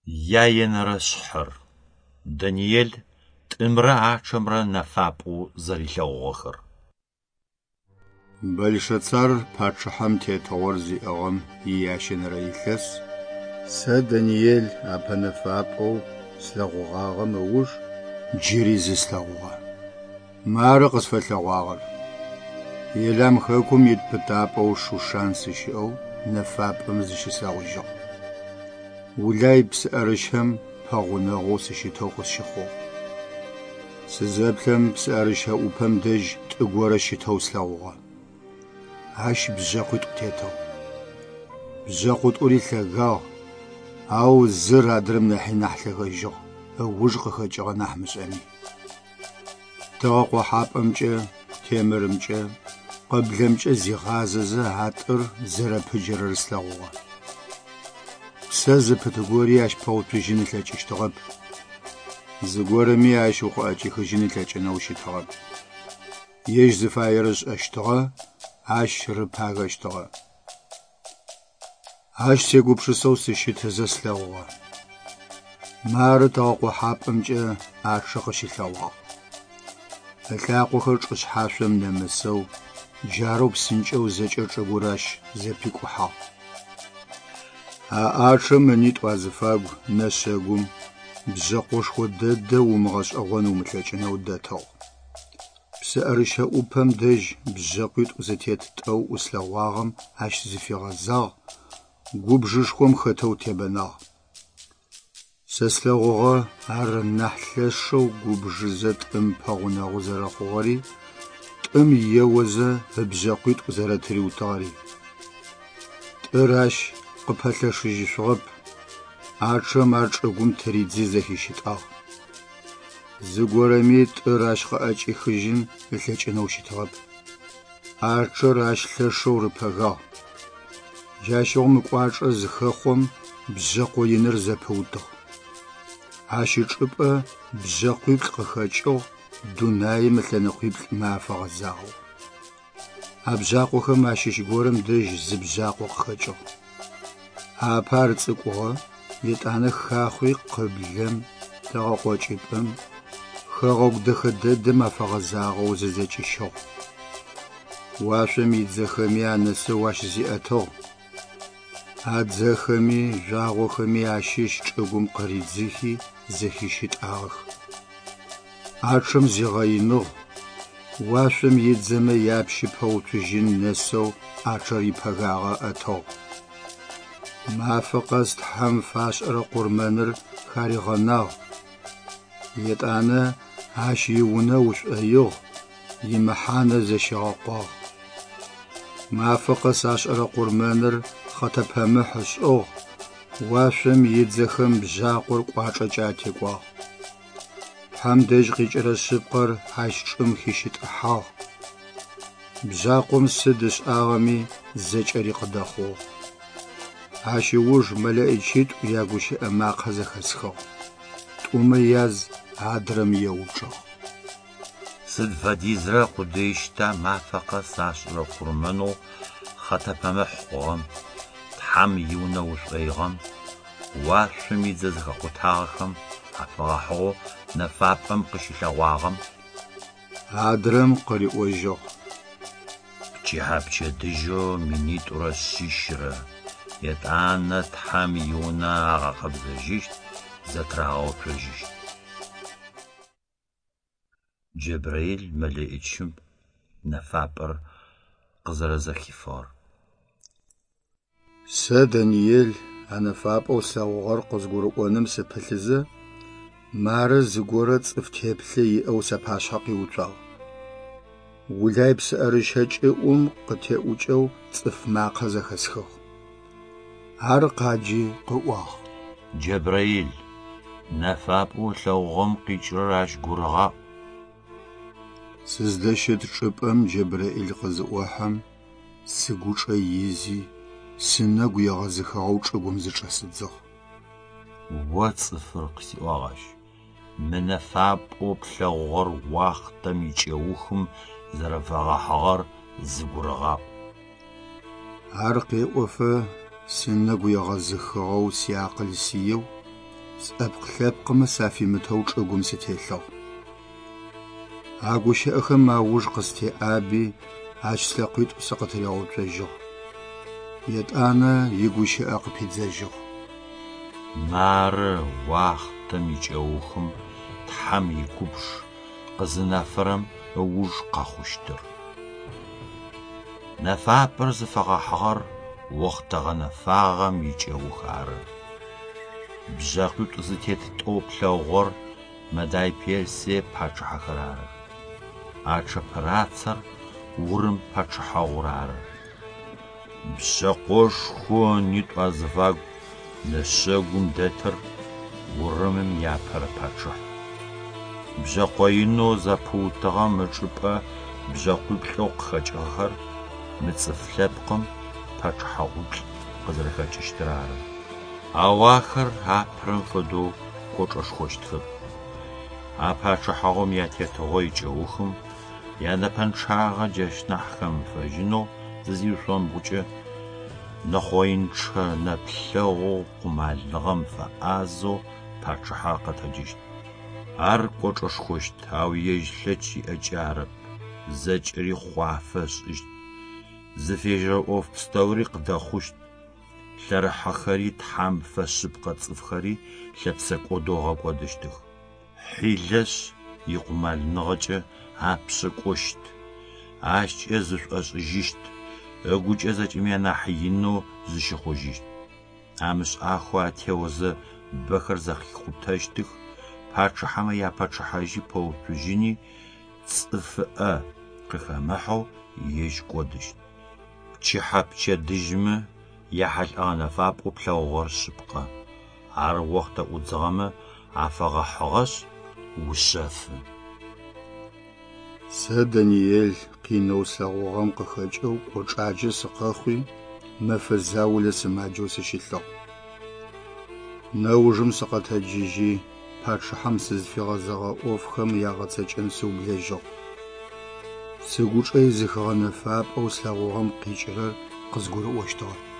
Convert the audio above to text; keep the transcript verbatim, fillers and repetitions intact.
Яенэрэ шъхьэр: Даниел тӏымрэ ӏачъэмрэ нэфапӏэу зэрилъэгъугъэхэр. Бэлшэцар пачъыхьэм тетыгъор зиӏыгъым иящэнэрэ илъэс сэ, Даниел, апэ нэфапӏэу слъэгъугъагъэм ыуж джыри зы слъэгъугъэ. Мары къысфэлъэгъуагъэр: Елам хэкум ит пытапӏэу Шушан сыщыӏэу нэфапӏэм зыщыслъэгъужьыгъ. Улай псыӏэрыщэм пэгъунэгъоу сыщытэу къысщыхъугъ. Сызэплъэм псыӏэрыщэ ӏупэм дэжь тӏы горэ щытэу слъэгъугъэ. Ащ бжъэкъуитӏу тетыгъ. Бжъэкъуитӏури лъэгагъ, ау зыр адрэм нахьи нахь лъэгэжьыгъ, ыуж къыхэкӏыгъэ нахь мышӏэми. Тыгъэ къохьапӏэмкӏэ, темырымкӏэ, къыблэмкӏэ зигъазэзэ а тӏыр зэрэпыджэрэр слъэгъугъэ. Псэ зыпыт гори ащ пэуцужьын ылъэкӏыщтыгъэп. Зыгорэми ащ укъыӏэкӏихыжьын ылъэкӏынэу щытыгъэп. Ежь зыфаер ышӏэщтыгъэ, ащ рыпагэщтыгъэ. Ащ сегупшысэу сыщытызэ слъэгъугъэ. Мары тыгъэкъохьапӏэмкӏэ ӏачъэ къыщылъэгъуагъ. Ылъакъохэр чӏышъхьашъом нэмысэу, джарэу псынкӏэу зэкӏэ чӏыгур ащ зэпикӏухьагъ. А ӏачъэм ынитӏу азыфагу нэшъэгум бжъэкъошхо дэдэ умыгъэшӏэгъон умылъэкӏынэу дэтыгъ. Псыӏэрыщэ ӏупэм дэжь бжъэкъуитӏу зытет тӏэу ӏуслъэгъуагъэм ащ зыфигъэзагъ, губжышхом хэтэу тебэнагъ. Сэ слъэгъугъэ ар нахь лъэшэу губжызэ тӏым пэгъунэгъу зэрэхъугъэри, тӏым еозэ ыбжъэкъуитӏу зэрэтыриутыгъэри. Тӏыр ащ къыпэлъэшыжьышъугъэп, ӏачъэм ар чӏыгум тыридзи зэхищытӏагъ. Зыгорэми тӏыр ащ къыӏэкӏихыжьын ылъэкӏынэу щытыгъэп. ӏачъэр ащ лъэшэу рыпэгагъ. Джащыгъум ыкӏуачӏэ зыхэхъом бжъэкъо иныр зэпыутыгъ. Ащ ычӏыпӏэ бжъэкъуиплӏ къыхэкӏыгъ дунаим ылъэныкъуиплӏымэ афэгъэзагъэу. А бжъакъохэм ащыщ горэм дэжь зы бжъакъо къыхэкӏыгъ. Апэ ар цӏыкӏугъэ, етӏанэ хахъуи къыблэм, тыгъэкъокӏыпӏэм, хэгъэгу дэхэ дэдэм афэгъэзагъэу зызэкӏищыгъ. Уашъом идзэхэми анэсэу ащ зиӏэтыгъ. А дзэхэми жъуагъохэми ащыщ чӏыгум къыридзыхи зэхищытӏагъэх. ӏачъэм зигъэиныгъ, уашъом идзэмэ япщы пэуцужьын нэсэу ӏачъэр ипэгагъэ ыӏэтыгъ. Мафэ къэс Тхьэм фашӏырэ къурмэныр харигъэнагъ. Етӏанэ ащ иунэ ушӏоигъ, имэхьанэ зэщигъэкъуагъ. Мафэ къэс ашӏырэ къурмэныр хъэтэпэмыхь ышӏыгъ, уашъом идзэхэм бжъакъор кӏуачӏэкӏэ атекӏуагъ. Тхьэм дэжь къикӏырэ шъыпкъэр ащ чӏым хищытӏыхьагъ. Бжъакъом сыд ышӏагъэми зэкӏэри къыдэхъугъ. Ащ ыуж мэлэӏичитӏу ягущыӏэ макъэ зэхэсхыгъ. Тӏумэ яз адрэм еупчӏыгъ. Сыд фэдизрэ къудыищта мафэ къэс ашӏырэ къурмэнэу хъэтэпэмыхь хъугъэм, Тхьэм иунэ ушӏоигъэм, уашъом идзэ зэхэкъутагъэхэм афэгъэхьыгъэу нэфапӏэм къыщылъэгъуагъэм? Адрэм къыриӏожьыгъ: Пчыхьэ пчэдыжьэу минитӏурэ шъищрэ, етӏанэ Тхьэм иунэ агъэкъэбзэжьыщт, зэтырагъэуцожьыщт. Джэбраил мэлэӏичым нэфапӏэр къызэрэзэхифыгъэр. Сэ, Даниел, а нэфапӏэу слъэгъугъэр къызгурыӏоным сыпылъызэ, мары зыгорэ цӏыф теплъэ иӏэу сапашъхьэ къиуцуагъ. Улай псыӏэрыщэ кӏыӏум къытеӏукӏэу цӏыф макъэ зэхэсхыгъ. Ар къаджи къыӏуагъ: Джэбраил, нэфапӏэу ылъэгъугъэм къикӏырэр ащ гурыгъаӏу. Сыздэщыт чӏыпӏэм Джэбраил къызыӏохьэм, сыгучӏэ изи, сынэгу егъэзыхыгъэу чӏыгум зычӏэсыдзыгъ. О цӏыфыр, къысиӏуагъ ащ, мы нэфапӏэу плъэгъугъэр уахътэм икӏэухым зэрэфэгъэхьыгъэр зыгурыгъаӏу. Ар къеӏофэ сынэгу егъэзыхыгъэу сиакъыл сиеу, Сӏэпкъ-лъэпкъымэ сафимытэу чӏыгум сытелъыгъ. А гущыӏэхэм ауж къыстеӏаби, ащ слъэкъуитӏу сыкъытыригъэуцожьыгъ. Етӏанэ игущыӏэ къыпидзэжьыгъ. Мары уахътэм икӏэухым Тхьэм игубж къызынэфэрэм ыуж къэхъущтыр. Нэфапӏэр зыфэгъэхьыгъэр охътэ гъэнэфагъэм икӏэух ары. Бжъэкъуитӏу зытет тӏоу плъэгъугъэр Мадай Персие пачъыхьэхэр арых. А чъэпырацэр Урым пачъыхьэгъур ары. Бжъэкъошхоу ынитӏу азыфагу нэшъэгум дэтыр Урымым иапэрэ пачъыхь. Бжъэкъо инэу зэпыутыгъэм ычӏыпӏэ бжъэкъуиплӏэу къыхэкӏыгъэхэр мы цӏыф лъэпкъым пачъыхьэгъуиплӏ къызэрэхэкӏыщтыр ары. Ау ахэр апэрэм фэдэу кӏочӏэшхощтхэп. А пачъыхьэгъум ятетыгъо икӏэухым янэпэнчъагъэ джащ нахь хэмыфэжьынэу зызиушъомбгъукӏэ, нэхъоинчъэ нэплъэгъоу къумалыгъэм фэӏазэу пачъыхьэ къэтэджыщт. Ар кӏочӏэшхощт, ау ежь лъэкӏ иӏэкӏэ арэп, зэкӏэри хъуафэ ышӏыщт, зыфежьэрэ ӏоф пстэури къыдэхъущт, лъэрыхьэхэри Тхьэм фэшъыпкъэ цӏыфхэри лъэпсэкӏодэу ыгъэкӏодыщтых. Хьилэшъ икъумалыныгъэкӏэ апшъэ кӏощт, ащкӏэ зышӏошӏыжьыщт, ыгукӏэ зэкӏэми анахь инэу зыщыхъужьыщт. Амышӏахэу атеозэ бэхэр зэхикъутэщтых, пачъыхьэмэ япачъыхьэжьи пэуцужьыни, цӏыфыӏэ къыхэмыхьэу ежь кӏодыщт. Пчыхьэ пчэдыжьмэ яхьылӏэгъэ нэфапӏэу плъэгъугъэр шъыпкъэ. Ар охътэ ӏудзыгъэмэ афэгъэхьыгъэшъ, ушъэфы. Сэ, Даниел, къинэу слъэгъугъэм къыхэкӏэу кӏочӏаджэ сыкъэхъуи, мэфэ заулэ сымаджэу сыщылъыгъ. Нэужым сыкъэтэджыжьи, пачъыхьэм сызфигъэзэгъэ ӏофхэм ягъэцэкӏэн сыублэжьыгъ. Сыгучӏэ изыхыгъэ нэфапӏэу слъэгъугъэм къикӏырэр къызгурыӏощтыгъэп.